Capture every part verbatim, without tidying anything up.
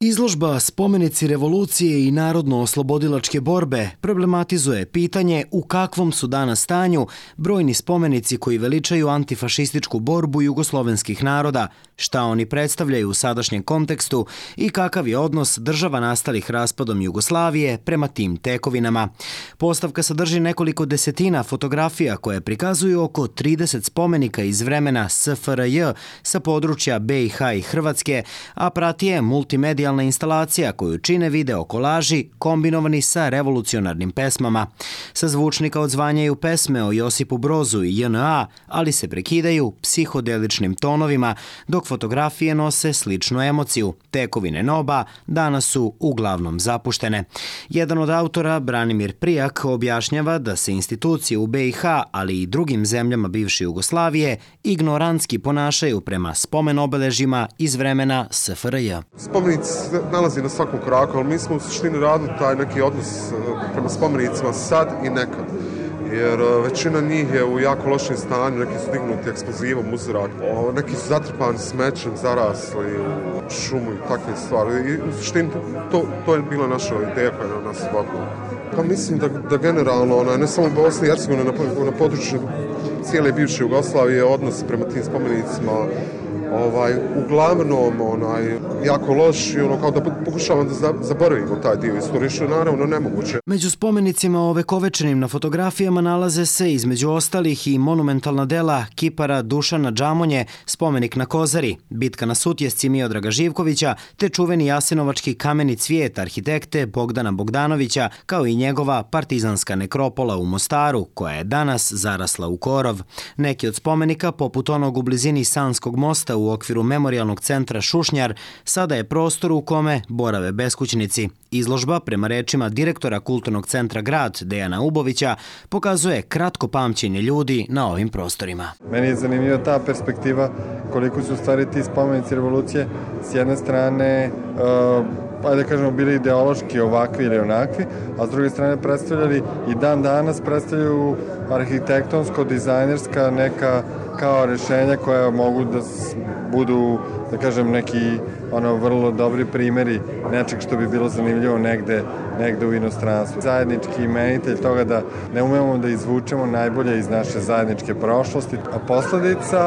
Izložba Spomenici revolucije i narodno-oslobodilačke borbe problematizuje pitanje u kakvom su danas stanju brojni spomenici koji veličaju antifašističku borbu jugoslovenskih naroda, šta oni predstavljaju u sadašnjem kontekstu i kakav je odnos država nastalih raspadom Jugoslavije prema tim tekovinama. Postavka sadrži nekoliko desetina fotografija koje prikazuju oko trideset spomenika iz vremena S F R J sa područja B i H i Hrvatske, a prati je multimedijalna instalacija koju čine video kolaži kombinovani sa revolucionarnim pesmama. Sa zvučnika odzvanjaju pesme o Josipu Brozu i J N A, ali se prekidaju psihodeličnim tonovima, dok fotografije nose sličnu emociju. Tekovine N O B A danas su uglavnom zapuštene. Jedan od autora, Branimir Prijak, objašnjava da se institucije u B i H, ali i drugim zemljama bivše Jugoslavije, ignorantski ponašaju prema spomen obeležjima iz vremena S F R J. Spomenici se nalazi na svakom koraku, ali mi smo u suštini radili taj neki odnos prema spomenicima sad i nekad. Jer većina njih je u jako lošem stanju, neki su dignuti eksplozivom u zrak, neki su zatrpani smećem, zarasli u šumu i takve stvari. I u suštini to, to je bila naša ideja koja je na nas vodila. Pa mislim da, da generalno, ona, ne samo u Bosni i Hercegovini, na, na području cijele bivše Jugoslavije, odnos prema tim spomenicima ovaj, uglavnom onaj, jako loš i ono kao da pokušavamo da zaboravimo taj dio istorije, što je naravno nemoguće. Među spomenicima ovekovečenim na fotografijama nalaze se između ostalih i monumentalna dela kipara Dušana Džamonje, spomenik na Kozari, bitka na Sutjesci Miodraga Živkovića, te čuveni jasenovački kameni cvijet arhitekte Bogdana Bogdanovića, kao i njegova partizanska nekropola u Mostaru, koja je danas zarasla u korov. Neki od spomenika, poput onog u blizini Sanskog mosta u okviru memorijalnog centra Šušnjar, sada je prostor u kome borave beskućnici. Izložba, prema rečima direktora Kulturnog centra Grad Dejana Ubovića, pokazuje kratko pamćenje ljudi na ovim prostorima. Meni je zanimljiva ta perspektiva koliko su stvari ti spomenici revolucije s jedne strane uh, ajde da kažemo bili ideološki ovakvi ili onakvi, a s druge strane predstavljali i dan danas predstavljaju arhitektonsko-dizajnerska neka kao rešenja koja mogu da budu, da kažem, neki ono vrlo dobri primjeri nečeg što bi bilo zanimljivo negde, negde u inostranstvu. Zajednički imenitelj toga da ne umemo da izvučemo najbolje iz naše zajedničke prošlosti, a posledica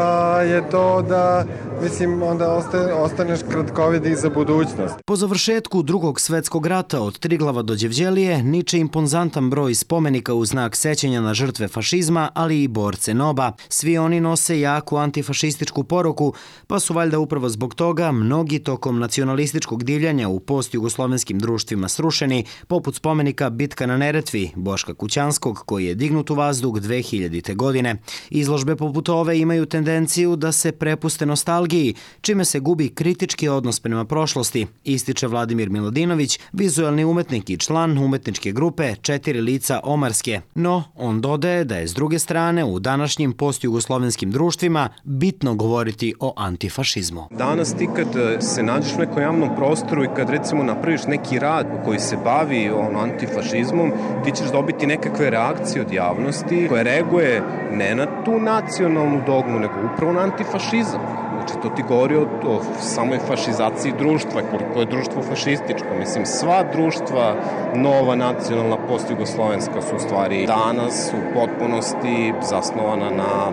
je to da, mislim, onda ostaje, ostaneš kratkovid i za budućnost. Po završetku Drugog svetskog rata od Triglava do Đevđelije niče imponzantan broj spomenika u znak sećanja na žrtve fašizma, ali i borce N O B A. Svi oni nose jaku antifašističku poruku, pa su valjda upravo zbog toga mnogi tokom nacionalističkog divljanja u postjugoslovenskim društvima srušeni, poput spomenika Bitka na Neretvi Boška Kućanskog, koji je dignut u vazduh dve hiljadite. godine. Izložbe poput ove imaju tendenciju da se prepuste nostalgiji, čime se gubi kritički odnos prema prošlosti, ističe Vladimir Milodinović, vizualni umetnik i član umetničke grupe Četiri lica Omarske. No, on dodaje da je s druge strane u današnjim postjugoslovenskim društvima bitno govoriti o antifašizmu. Danas ti kad se nađeš u nekom javnom prostoru i kad recimo napraviš neki rad koji se bavi on, antifašizmom, ti ćeš dobiti nekakve reakcije od javnosti koja reaguje ne na tu nacionalnu dogmu, nego upravo na antifašizam. Znači, to ti govori o, o samoj fašizaciji društva, koliko je društvo fašističko. Mislim, sva društva, nova nacionalna postjugoslovenska su u stvari danas u potpunosti zasnovana na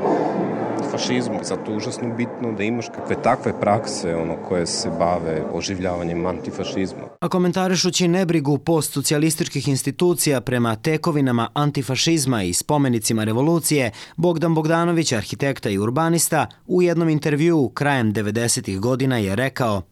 fašizmu. Zato je užasno bitno da imaš kakve takve prakse ono, koje se bave oživljavanjem antifašizma. A komentarišući nebrigu postsocijalističkih institucija prema tekovinama antifašizma i spomenicima revolucije, Bogdan Bogdanović, arhitekta i urbanista, u jednom intervjuu krajem devedesetih godina je rekao: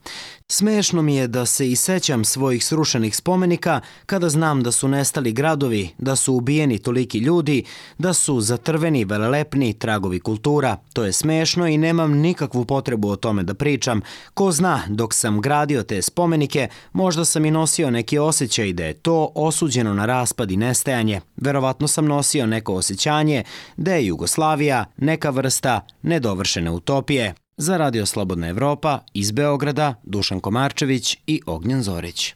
"Smešno mi je da se i sećam svojih srušenih spomenika kada znam da su nestali gradovi, da su ubijeni toliki ljudi, da su zatrveni velelepni tragovi kultura. To je smešno i nemam nikakvu potrebu o tome da pričam. Ko zna, dok sam gradio te spomenike, možda sam i nosio neki osjećaj da je to osuđeno na raspad i nestajanje. Verovatno sam nosio neko osjećanje da je Jugoslavija neka vrsta nedovršene utopije." Za Radio Slobodna Evropa iz Beograda, Dušan Komarčević i Ognjen Zorić.